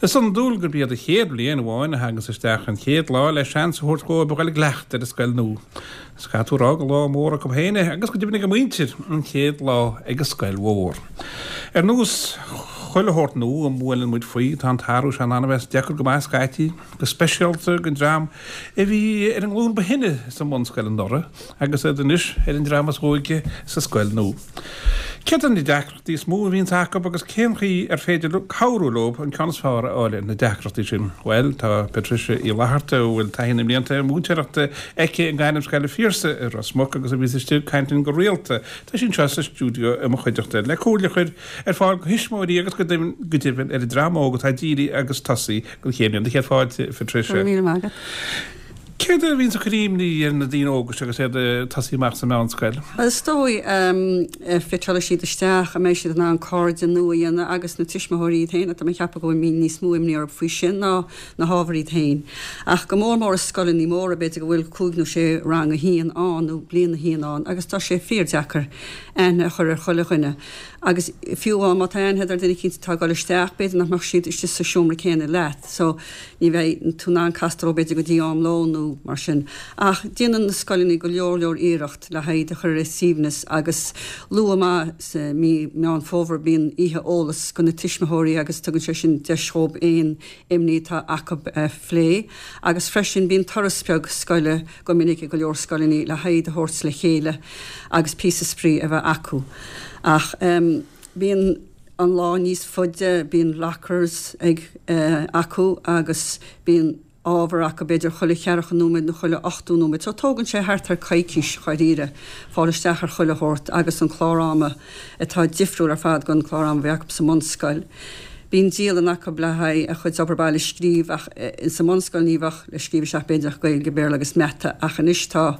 Is iondúil gurb iad an chéad bhliain amháin a thaganns isteach an chéad lá le seans a thabhairt dhóibh a ghoil i gcleachtadh ar an scoil nua. Is caithfidh tú a rá gur lá mór acu féin é agus go deimhin ag a muintir, an chéad lá ag an scoil mhór. Ar nós chuile shórt nua a mbuaileann muid faoi, tá an t-athrú seo in ann a bheith deacair go maith scaití, go speisialta don dream a bhí ar an nglúin ba shine sa mbunscoil anuraidh agus iad anois ar an dream is óige sa scoil nua. Céard iad na deacrachtaí is mó a bhíonns acu agus cén chaoi ar féidir cabhrú leo an ceann is fearr a fháil ar na deacrachtaí sin? Bhuel, tá Patricia Uí Fhlatharta, a bhfuil taithí na mblianta múinteoireachta aici i nGairmscoil an Phiarsaigh i Ros Muc agus a bhíos istigh ag caint linn go rialta, tá sí anseo sa stiúideo i mo chuideachta le comhairle a chur ar fáil do thuismitheoirí agus go deimhin ar an dream óg atá ag éirí agus tosaí don chéad bhliain. Céad fáilte, Patricia. Go raibh míle maith agat. Céard a bhíonns ag cur imní ar na daoine óga seo agus iad ag tosaí amach sa mheánscoil? Is dóigh, fiteálfaidh siad isteach, an mbeidh siad in ann cairde nua a dhéanamh agus na tuismitheoirí iad féin, tá mé ag ceapadh go bhfuil níos mó imní orthu faoi sin ná na hábhair iad féin. Ach go mór mór i scoileanna móra, b'fhéidir go bhfuil cúig nó sé rang a haon ann nó bliain a haon ann agus tá sé fíordheacair aithne a chur ar chuile dhuine. Agus fiú amháin má tá aithne agat ar duine eicínt atá ag dul isteach, b'fhéidir nach mbeadh siad istigh sa seomra céanna leat. So, ní bheidh tú in ann castáil leo b'fhéidir go dtí am lóin nó mar sin. Ach déanann na scoileanna go leor leor iarracht le haghaidh iad a chur ar a suaimhneas agus luath maith sa mí Meán Fómhair bíonn oíche eolas go na tuismitheoirí agus tugann sé sin deis dhóibh aon imní atá acu a phlé. Agus freisin bíonn turas beag scoile go minic i go leor scoileanna le haghaidh iad a thabhairt le chéile agus píosa spraoi a bheith acu. Ach bíonn an lá níos faide, bíonn lockers ag acu agus bíonn ábhar acu b'fhéidir chuile cheathracha nóiméad nó chuile 80 nóiméad. So tógann sé thart ar coicís dháiríre fáil isteach ar chuile shórt agus an clár ama atá difriúil ar fad gon clár ama a bhí acu sa mbunscoil. Bíonn dialann acu le haghaidh a chuid obair baile a scríobh ach sa mbunscoil ní bheadh le scríobh isteach b'fhéidir ach Gaeilge, Béarla agus Mata ach anois tá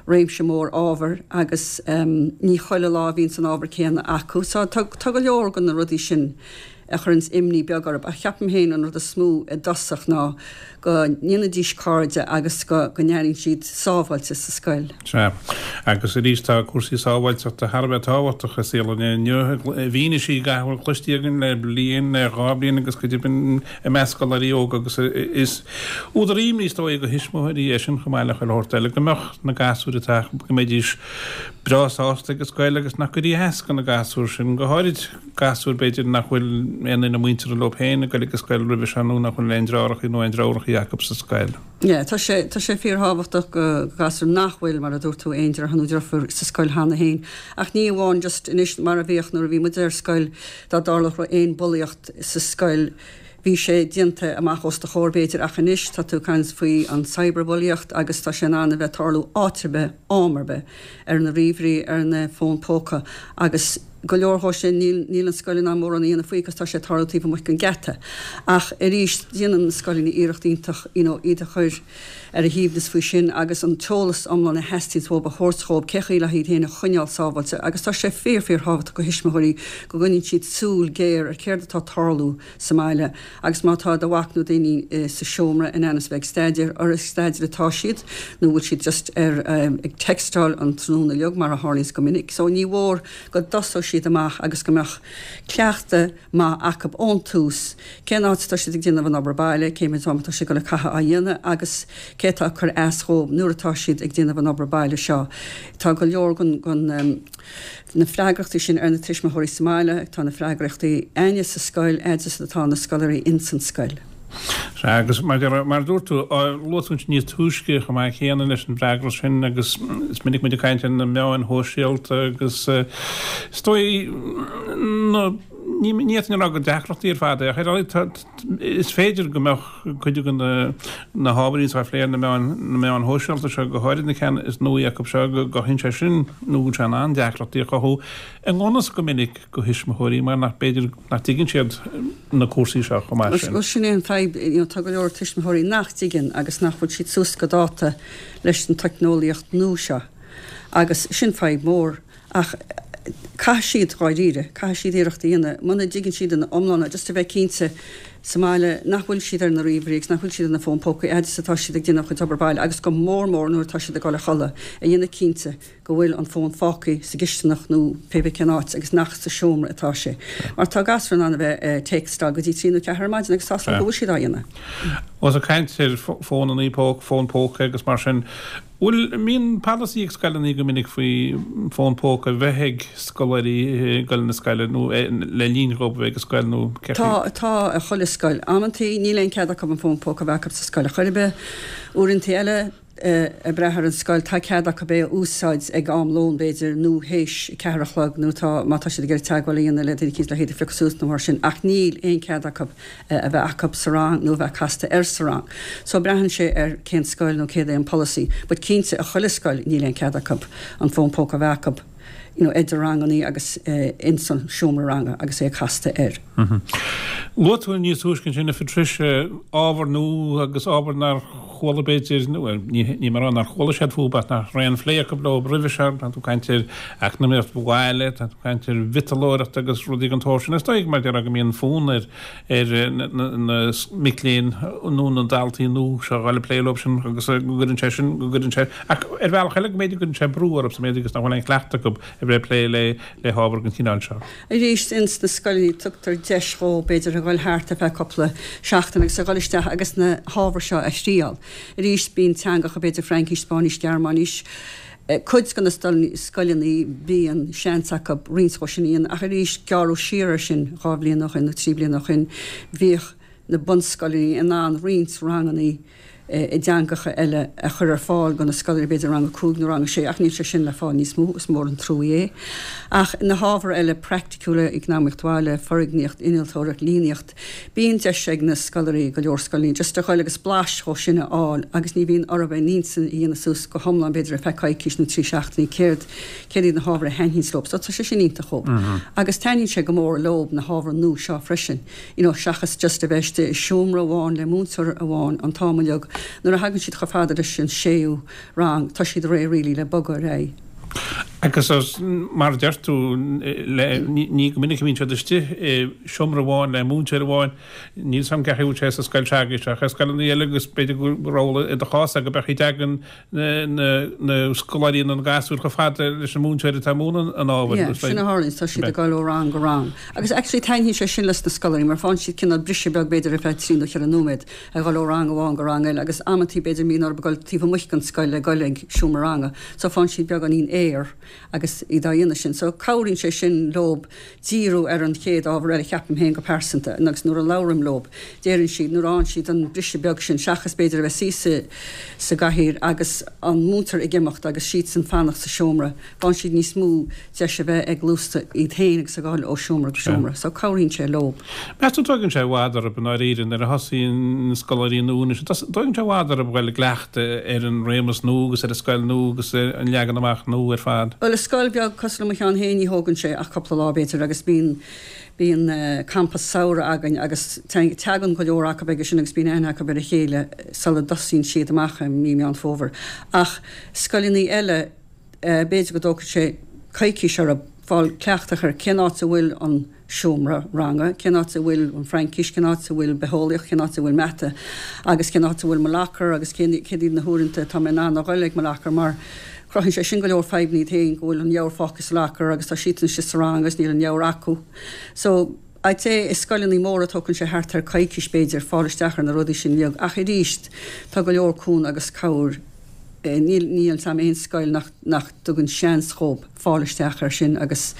réimse mór ábhair agus ní chuile lá a bhíonns an ábhar céanna acu. So tá go leor de na rudaí sin a chuireanns imní beag orthu ach ceapaim féin an rud is mó i dtosach ná go ndéanfaidís cairde agus go n-airíonn siad sábháilte sa scoil. Sea. Agus arís tá cúrsaí sábháilteachta thar a bheith tábhachtach i saol an lae inniu. I bhfianaise gach a bhfuil cloiste againn le bliain, le dhá bhliain agus go deimhin i measc scoláirí óga agus is údar imní is dóigh do thuismitheoirí é sin chomh maith le chuile shórt eile, go mbeadh na gasúir atá acu, go mbeidís breá sásta ag an scoil agus nach gcuirfí as do na gasúir sin, go háirid gasúir b'fhéidir nach bhfuil aon duine muinteartha leo féin ag goil ag an scoil roimhe seo nó nach bhfuil aon deartháireachaí nó aon deirfiúrachaí acu sa scoil. Yeah, tá sé, tá sé fíorthábhachtach go gasúir nach bhfuil, mar a dúirt tú, aon deartháir nó deirfiúr sa scoil cheana féin. Ach ní amháin just anois mar a bhíodh nuair a bhí muid ar scoil, dá dtarlódh aon bulaíocht sa scoil, bhí sé déanta amach os do chomhair b'fhéidir ach anois tá tú ag caint faoi an cyberbulaíocht agus tá sé in ann a bheith tarlú áit ar bith, am ar bith, ar na ríomhairí, ar na fóin póca agus go leor dhó sin níl, níl an scoil in ann mórán a dhéanamh faoi agus tá sé ag tarlú taobh amuigh den geata. Ach arís déanann na scoileanna iarracht iontach you know iad a chur ar a shuaimhneas faoi sin agus an t-eolas iomlán a theastaíonns uathu a thabhairt dhóibh cé chaoi le hiad féin a choinneáil sábháilte agus tá sé fíor fíor thábhachtach go thuismitheoirí go gcoinníonn siad súil géar ar céard atá ag tarlú sa mbaile agus má tá do mhac nó d'iníon sa seomra in ainm is a bheith ag staidéar, ar ag staidéar atá siad nó bhfuil siad just ar ag textáil an tráthnóna uilig mar a tharlaíonns go minic so ní mhór go dtosódh siad amach agus go mbeadh cleachtadh maith acu ón tús cén áit atá siad ag déanamh an obair baile, cé mhéad am atá siad ag dul a chaitheamh á dhéanamh agus cé atá ag cur as dhóibh nuair atá siad ag déanamh an obair baile seo. Tá go leor den na freagrachtaí sin ar na tuismitheoirí sa mbaile, tá na freagrachtaí againne sa scoil, fhad is atá na scoláirí ins an scoil. Sea, agus mar a dúirt tú, luaigh tú ansin níos túisce chomh maith céanna leis an bhfreagracht sin agus is minic muid ag caint ar na meáin shóisialta agus is dóigh na ní fhéadfainn a rá gur deacrachtaí ar fad é ach ar a laghad is féidir go mbeadh cuid de na hábhairí atá á phlé ar na meáin na meáin shóisialta seo, go háirid na ceanna is nuaí acu seo, go gcothaíonn sé sin nó go bhfuil sé in ann deacrachtaí a chothú i ngan fhios go minic do thuismitheoirí mar nach b'fhéidir nach dtuigeann siad na cúrsaí seo chomh maith sin. Bhuel sin é an fadhb, you know, tá go leor tuismitheoirí nach dtuigeann agus nach bhfuil siad suas go dáta leis an teicneolaíocht nua seo agus sin fadhb mhór ach caithfidh siad, dháiríre, caithfidh siad iarracht a dhéanamh, muna dtuigeann siad ina iomláine, just a bheith cinnte. sa mbaile nach bhfuil siad ar na ríomhairí agus nach bhfuil siad ar na fóin pócaí fhad is atá siad ag déanamh a chuid obair baile agus go mór mór nuair atá siad ag dul a chodladh, a dhéanamh cinnte go bhfuil an fón fágtha sa gcisteanach nó pé bith cén áit agus nach sa seomra atá sé. Mar tá gasúir in ann a bheith ag téacsáil go dtí trí nó ceathair ar maidin agus tá 's agam go bhfuil siad á dhéanamh. Ós ag caint ar fónannaí póca, fón póca agus mar sin, bhfuil, mbíonn polasaí ag scoileanna go minic faoi fón póca a bheith ag scoláirí ag dul na scoile nó le linn dhóibh a bheith ag an scoil nó céard faoi? Tá, tá i chuile scoil. Amantaí níl aon cead acu an fón póca a bheith acu sa scoil ar chor ar bith. Uaireantaí eile, ag brath ar an scoil, tá cead acu é a úsáid ag am lóin b'fhéidir nó théis a ceathair a chlog nó tá, má tá siad ag iarraidh teagmháil a dhéanamh le duine eicínt le hiad a phiocadh suas nó mar sin ach níl aon cead acu a bheith acu sa rang nó a bheith casta air sa rang. So braitheann sé ar cén scoil nó céard é an polasaí but cinnte i chuile scoil níl aon cead acu an fón póca a bheith acu you know idir rangannaí agus ins an seomra ranga agus é casta air. Luaigh tú níos túisce ansin a Phatricia, ábhar nua agus ábhar nár chuala b'fhéidir, nó ní ní mar nár chuala siad fúthu ach nach raibh aon phlé acu leo roimhe seo, tá tú ag caint ar eacnamaíocht bhaile, tá tú ag caint ar mhiotalóireacht agus rudaí den tsórt sin. Is dóigh mar déarfá go mbíonn fonn ar ar na mic léinn nó na daltaí nua seo a dhul ag plé leo sin agus go gcuireann sé sin, go gcuireann sé, ach ar bhealach eile go mb'fhéidir go gcuireann sé brú orthu sa méid agus nach bhfuil aon chleachtadh acu a bheith ag plé le le hábhar den chineál seo. Arís, ins na scoileanna tugtar deis dhóibh b'fhéidir a dhul thart ar feadh cúpla seachtain agus a dhul isteach agus na hábhair seo a thriáil. Arís, bíonn teangacha b'fhéidir Fraincis, Spáinnis, Gearmáinis, cuid de na scoileanna bíonn seans acu roinnt dhó sin a dhéanamh ach arís gearradh siar ar sin dhá bhliain ó shin nó trí bliana ó shin bhíodh na bunscoileanna in ann roinnt ranganna i dteangacha eile a chur ar fáil do na scoláirí, b'fhéidir rang a cúig nó rang a sé, ach níl sé sin le fáil níos mó, is mór an truaí é. Ach na hábhair eile praiticiúla, eacnamaíocht bhaile, foirgníocht, innealtóireacht, líníocht, bíonn deis ag na scoláirí, go leor scoileanna, just a ghoil agus blais dhó sin a fháil agus ní bhíonn orthu a n-intinn a dhéanamh suas go hiomlán b'fhéidir ar feadh coicís nó trí seachtainí céard céard iad na hábhair a thaitníonns leo. So tá sé sin iontach dhóibh. Agus taitníonn sé go mór leo na hábhair nua seo freisin. you know seachas just a bheith istigh i seomra amháin le múinteoir amháin an t-am uilig, nuair a thagann siad chomh fada leis an séú rang tá siad réidh really le bogadh ar aghaidh. Agus mar a deir tú, ní go minic a bhíonn siad istigh i seomra amháin le múinteoir amháin, níl 's a'm cén chaoi a bhfuil sé sa scoil s'agaibhse ach i scoileanna eile agus b'fhéidir gur amhlaidh i do chás go mbeadh i dtagann na scoláirí nó na gasúir chomh fada leis an múinteoir atá ag múineadh an ábhair. Yeah, sin a tharlaíonn, tá siad ag dul ó rang go rang. Agus actually taitníonn sé sin leis na scoláirí mar faigheann siad cineál briseadh beag b'fhéidir ar feadh trí nó cheithre nóiméad ag dhul ó rang amháin go rang eile agus amantaí b'fhéidir mbíonn orthu dul taobh amuigh den scoil le dhul ag seomra ranga so faigheann siad beagáinín aer agus iad á dhéanamh sin. So cabhraíonn sé sin leob díriú ar an chéad ábhar eile, ceapaim féin go pearsanta, agus nuair a labhraím leob, deireann siad, nuair a fhaigheann siad an briseadh beag sin, seachas b'fhéidir a bheith suí sa gcathaoir agus an múinteoir ag imeacht agus siadsan fanacht sa seomra, faigheann siad níos mó deis a bheith ag gluaisteacht iad féin agus ag dul ó seomra go seomra. So cabhraíonn sé leob. Meas tú dtógann sé i bhfad orthu i ndáiríre nuair a thosaíonn na scoláirí nua anois, dtógann sé i bhfad orthu dhul i gcleachtadh ar an réimeas nua agus ar an scoil nua agus ar an leagan amach nua ar fad? Bhuel, i scoil bheag cosúil le mo cheann féin ní thógann sé ach cúpla lá b'fhéidir agus bíonn bíonn campa samhraidh againn agus teagann go leor acu aige sin agus bíonn aithne acu ar a chéile sula dtosaíonn siad amach i mí Meán Fómhair. Ach scoileanna eile, B'fhéidir go dtógfaidh sé coicís orthu fáil cleachtadh ar cén áit a bhfuil an seomra ranga, cén áit a bhfuil an Fraincis, cén áit a bhfuil bitheolaíocht, cén áit a bhfuil mata agus cén áit a bhfuil mo locker agus cén céard iad na huaireanta atá mé in ann a dhul ag mo locker mar cruthaíonn sé sin go leor fadhbanna iad féin go bhfuil an leabhar fágtha sa locker agus tá siadsan istigh sa rang agus níl an leabhar acu. So, I'd say i scoileanna móra tógann sé thart ar coicís b'fhéidir fáil isteach ar na rudaí sin uilig ach arís tá go leor cúnamh agus cabhair níl níl 's a'm aon scoil nach nach dtugann seans dhób fáil isteach air sin agus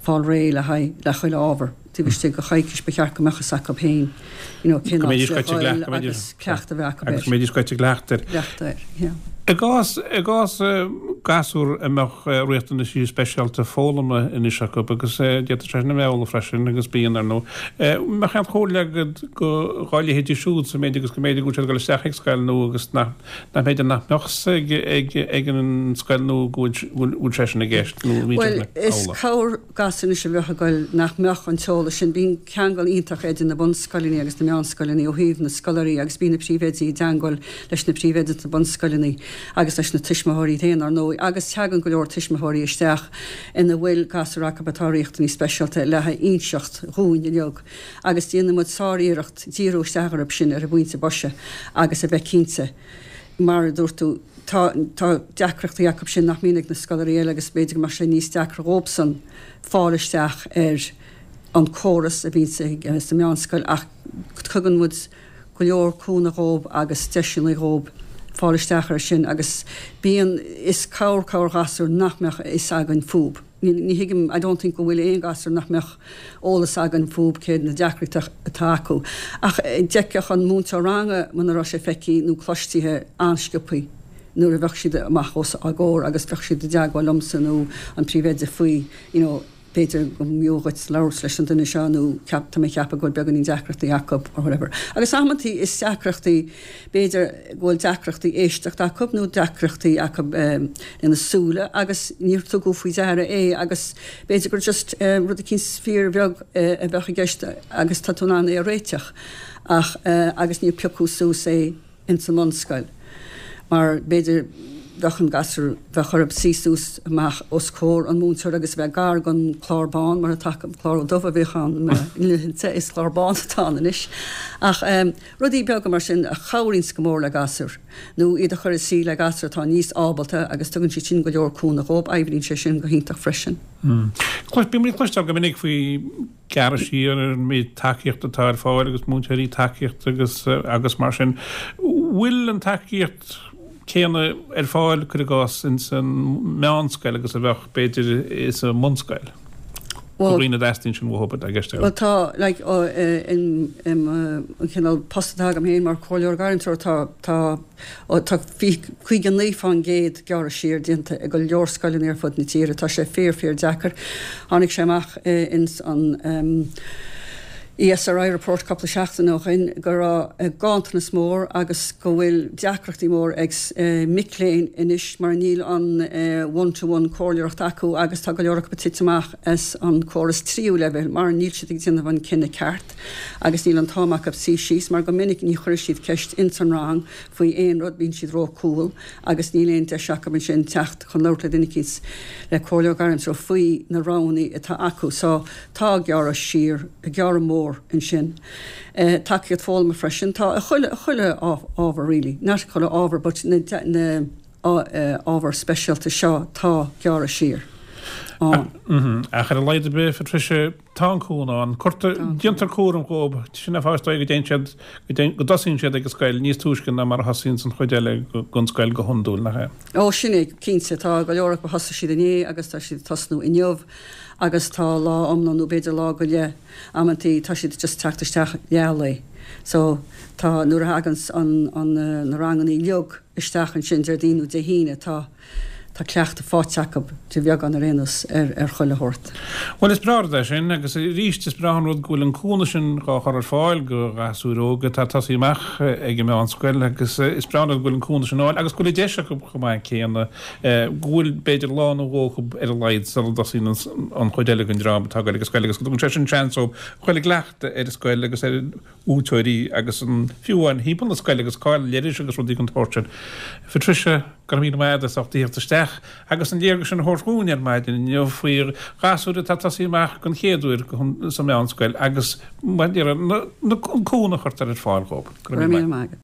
fáil réidh le haghaidh le chuile ábhar taobh istigh de choicís ba cheart go mbeadh fhios acu féin you know cén Go áit mbeidís le goite dhul go mbeidís agus cleachtadh a bheith acu agus air. go mbeidís goite gcleachtadh air. Cleachtadh air, yeah. I gcás i gcás gasúr a mbeadh riachtanaisí speisialta foghlama anois acu agus d'fhéadfadh sé sin a bheith amhlaidh freisin agus bíonn ar ndóigh. Mbeadh aon chomhairle agat go dhá leithéidí siúd sa méid agus go mb'fhéidir go bhfuil siad ag dul isteach ag scoil nua agus nach nach mb'fhéidir nach mbeadh 's ag ag ag an scoil nua go bhfuil bhfuil sé sin i gceist nó an mbíonn sé Bhuel, sin is amhlaidh? cabhair gasúir anois a bheadh ag goil nach mbeadh an t-eolas sin. Bíonn ceangal iontach idir na bunscoileanna agus na meánscoileanna ó thaobh na scoláirí agus bíonn na príomhoidí i dteangmháil leis na príomhoidí sna bunscoileanna. agus leis na tuismitheoirí iad féin, ar ndóigh, agus teagann go leor tuismitheoirí isteach ina bhfuil gasúir acu atá riachtanaí speisialta le hínseacht dhúinn uilig agus déanann muid sár-iarracht díriú isteach orthu sin ar an bpointe boise agus a bheith cinnte, mar a dúirt tú, tá tá deacrachtaí acu sin nach mbíonn ag na scoláirí eile agus b'fhéidir go mbeadh sé níos deacra dhóibhsan fáil isteach ar an córas a bhíonn sa meánscoil ach tugann muid go leor cúnamh dhóibh agus deiseanna dhóibh fáil isteach air sin agus bíonn, is cabhair cabhair ghasúir nach mbeadh a fhios againn fúb. Ní, ní thuigim, I don't think go bhfuil aon ghasúr nach mbeadh eolas againn fúb céard na deacrachtaí atá acu. Ach d'fheicfeadh an múinteoir ranga muna raibh sé feicthe nó cloistithe an-sciobthaí nuair a bheadh siad amach os ár gcomhair agus bheadh siad i dteagmháil liomsa nó an príomhoide faoi, you know, b'fhéidir go mb'fhiú dhuit labhairt leis an duine seo nó ceap, tá mé ag ceapadh go bhfuil beagáinín deacrachtaí acu or whatever. Agus amantaí is deacrachtaí, b'fhéidir go bhfuil deacrachtaí éisteachta acu nó deacrachtaí acu lena súile agus níor tugadh faoi deara é agus b'fhéidir gur just rud eicínt fíorbheag a bheadh i gceist agus tá tú in ann é a réiteach ach agus níor piocadh suas é. ins an mbunscoil mar b'fhéidir bheadh an gasúr, bheadh orthu suí suas amach os comhair an mhúinteora agus a bheith gar don chlár bán mar atá acu, clár dubh a bhíodh ann i mo laethanta, is clár bán atá ann anois. Ach rudaí beaga mar sin a chabhraíonns go mór le gasúir nó iad a chur ag suí le gasúir atá níos ábalta agus tugann siad sin go leor cúnamh dhóibh, oibríonn sé sin go hiontach freisin. Bíonn muid ag cloisteáil go minic faoi gearradh siar ar an méid tacaíochta atá ar fáil agus múinteoirí tacaíochta agus agus mar sin. Bhfuil an tacaíocht céanna ar fáil, cuir i gcás, ins an meánscoil agus a bheadh, b'fhéidir, sa mbunscoil? Do dhaoine a dteastaíonn sin uathu, i gceist agam. Bhuel tá, like, in, in, an cineál post atá agam féin mar chomhairleoir gairmtreorach, tá, tá, Ó tá 59% gearradh siar déanta i go leor scoileanna ar fud na tíre. Tá sé fíor fíor deacair. Tháinig sé amach ins an ESRI report cúpla seachtain ó shin go raibh ganntanas mór agus go bhfuil deacrachtaí mór ag mic léinn anois mar níl an one to one comhairleoireacht acu agus tá go leor acu ag titim amach as an córas tríú leibhéal mar níl siad ag déanamh an cinneadh ceart. agus níl an t-am acu suí síos mar go minic ní chuirfidh siad ceist ins an rang faoi aon rud, bíonn siad ró-cúl agus níl aon deis acu ansin teacht chun labhairt le duine eicínt, le comhairleoir gairmtreorach faoi na roghanna atá acu. So tá gearradh siar, gearradh mór ansin. Tacaíocht foghlama freisin, tá i chuile, chuile ábhar really, not chuile ábhar but na, na ábhair speisialta seo tá gearradh siar ann. Ach ar a laghad ar bith, Patricia, Tá an cúnamh ann. Cuirtear, déantar cúram dhóibh. Sin an fáth is dóigh go dtéann siad, go dtosaíonn siad ag an scoil níos túisce ná mar a thosaíonns an chuid eile den scoil go hiondúil, nach ea? Ó, sin é, cinnte. Tá go leor acu, thosaigh siad inné agus tá siad ag tosnú inniu agus tá lá iomlán nó b'fhéidir lá go leith amantaí, tá siad just teacht isteach leath lae. So, tá, nuair a thaganns an, an, na rangannaí uilig isteach ansin Déardaoin nó Dé hAoine, tá, Tá cleachtadh faighte acu, de bheagán ar aon nós, ar ar chuile shórt. Bhuel, is breá rud é sin, agus arís is breá an rud go bhfuil an cúnamh sin dhá chur ar fáil go ghasúir óga atá ag tosaí amach ag an meánscoil agus is breá an rud go bhfuil an cúnamh sin ar fáil agus go bhfuil an deis acu chomh maith céanna go bhfuil b'fhéidir lá nó dhó acu ar a laghad sula dtosaíonn an chuid eile den dream atá ag goil ag an scoil agus go dtugann sé sin seans dóibh a ghoil i gcleachtadh ar an scoil agus ar mhúinteoirí agus an fiú amháin thimpeall na scoile agus cáil leithris agus rudaí den tsórt sin. Patricia, go raibh míle maith agat as ucht a thíocht isteach agus an léargas sin a thabhairt dhúinn ar maidin inniu faoi ghasúir atá ag tosaí amach den chéad uair sa meánscoil agus mar a déarfá an cúnamh a chuirtear ar fáil dhóibh. Go raibh míle maith agat.